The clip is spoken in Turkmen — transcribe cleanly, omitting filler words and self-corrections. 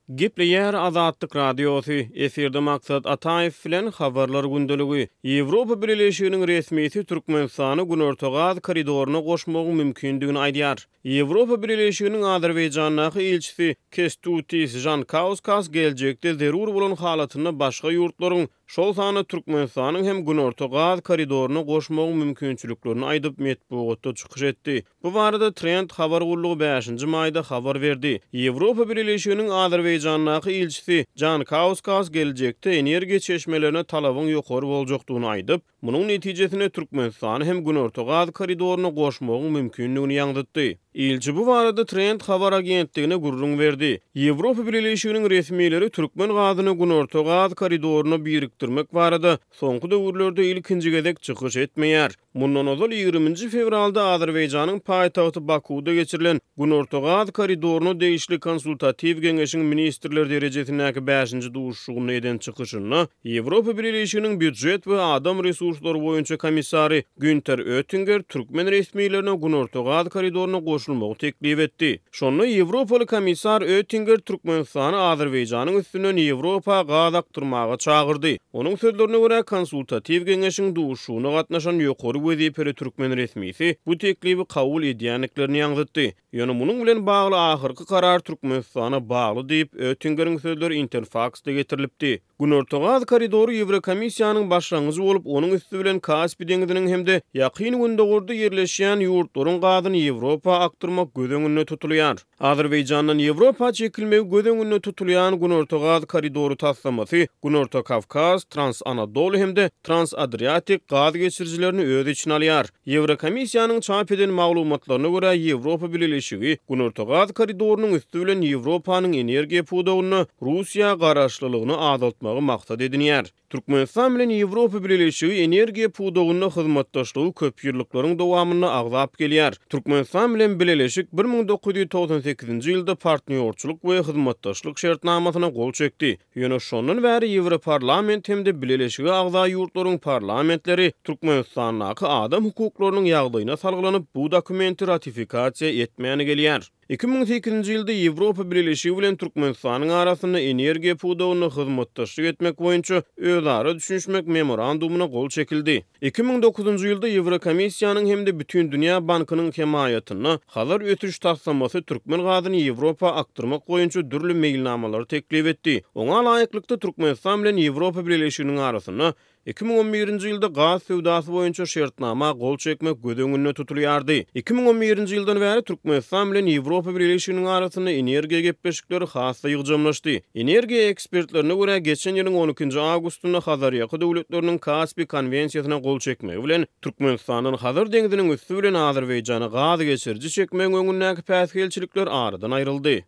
Gepleýär Azatlyk Radiosy, efirde Maksat Ataýew bilen Habarlar gündeligi. Ýewropa Bileleşiginiň resmisi Türkmenistany Günorta gaz koridoryna goşmagyň mümkindigini aýdýar. Ýewropa Bileleşiginiň Azerbaýjandaky ilçisi Kestutis Žankauskas geljekde zerur bolan halatynda başga ýurtlaryň, şol sanda Türkmenistanyň hem Günorta gaz koridoryna goşmagyň mümkinçiliklerini aýdyp, metbugatda çykyş etdi. Bu barada Trend habar gullugy bäşinji maýda habar berdi. Ýewropa Bileleşiginiň Azerbaýjandaky ilçisi Jankauskas geljekde energiýa çeşmelerine talabyň ýokary boljakdygyny aýdyp, munuň netijesinde Türkmenistany hem Günorta gaz koridoryna goşmagyň mümkindigini ýaňzytdy. Ilçi bu barada Trend habar agentligine gürrüň berdi. Ýewropa Bileleşiginiň resmileri türkmen gazyny Günorta gaz koridoryna birikdirmek barada soňky döwürlerde ilkinji gezek çykyş etmeýär. Mundan ozal, ýigriminji fewralda Azerbaýjanyň paýtagty Bakuwda geçirilen Günorta gaz koridoryna degişli konsultatiw geňeşiň ministrler derejesindäki bäşinji duşuşygynda eden çykyşynda Ýewropa Bileleşiginiň býujet we adam resurslary boýunça komissary Günter Öttinger türkmen resmilerine Günorta gaz koridoryna goşulmagy teklip etdi. Şonda ýewropaly komissar Öttinger Türkmenistany Azerbaýjanyň üstünden Ýewropa gaz akdyrmaga çagyrdy. Onuň sözlerine görä, konsultatiw geňeşiň duşuşygyna gatnaşan ýokary wezipeli türkmen resmisi bu teklibi kabul edýändiklerini ýaňzytdy. Ýöne munuň bilen bagly ahyrky karar Türkmenistana bagly diýip, Öttingeriň sözleri Interfaksda getirilipdi. Günorta gaz koridory Ýewrokomissiýanyň başlangyjy bolup, onuň üsti bilen Kaspi deňziniň hem-de Ýakyn Gündogarda ýerleşýän ýurtlaryň gazyny Ýewropa akdyrmak göz öňünde tutulýar. Azerbaýjandan Ýewropa çekilmegi göz öňünde tutulýan Günorta gaz koridory taslamasy Günorta Kawkaz, Trans-Anadolu hem-de Trans-Adriatik gaz geçirijilerini öz içine alýar. Ýewrokomissiýanyň çap eden maglumatlaryna görä, Ýewropa Bileleşigi Günorta gaz koridorynyň üsti bilen Ýewropanyň energiýa pudagynda Russiýa garaşlylygyny azaltmagy maksat edinýär. Türkmenistan bilen Ýewropa Bileleşigi energiýa pudagynda hyzmatdaşlygy köpýyllyklaryň dowamynda agzap gelýär. Türkmenistan bilen Bileleşik 1998-nji ýylda Partnýorçylyk we hyzmatdaşlyk şertnamasyna gol çekdi. Ýöne şondan bäri Ýewroparlament hem-de Bileleşige agza ýurtlaryň parlamentleri Türkmenistandaky adam hukuklarynyň ýagdaýyna salgylanyp, bu dokumenti ratifikasiýa etmäni gelýär. 2008-nji ýylda Ýewropa Bileleşigi bilen Türkmenistanyň arasynda energiýa pudagynda hyzmatdaşlyk etmek boýunça özara düşünişmek memorandumyna gol çekildi. 2009-njy ýylda Ýewrokomissiýanyň hem-de Bütindünýä bankynyň hemaýatynda Hazar ösüş taslamasy türkmen gazyny Ýewropa akdyrmak boýunça dürli meýilnamalary teklip etdi. Oňa laýyklykda, Türkmenistan bilen Ýewropa Bileleşiginiň arasynda 2011-nji ýylda gaz söwdasy boýunça şertnama gol çekmek göz öňünde tutulýardy. 2011-nji ýyldan bäri Türkmenistan bilen Ýewropa Bileleşiginiň arasynda energiýa gepleşikleri has-da ýygjamlaşdy. Energiýa ekspertlerine görä, geçen ýylyň on ikinji awgustynda Hazarýaka döwletleriniň Kaspi konwensiýasyna gol çekmegi bilen, Türkmenistandan Hazar deňziniň üsti bilen Azerbaýjana gaz geçiriji çekmegiň öňündäki päsgelçilikler aradan aýryldy.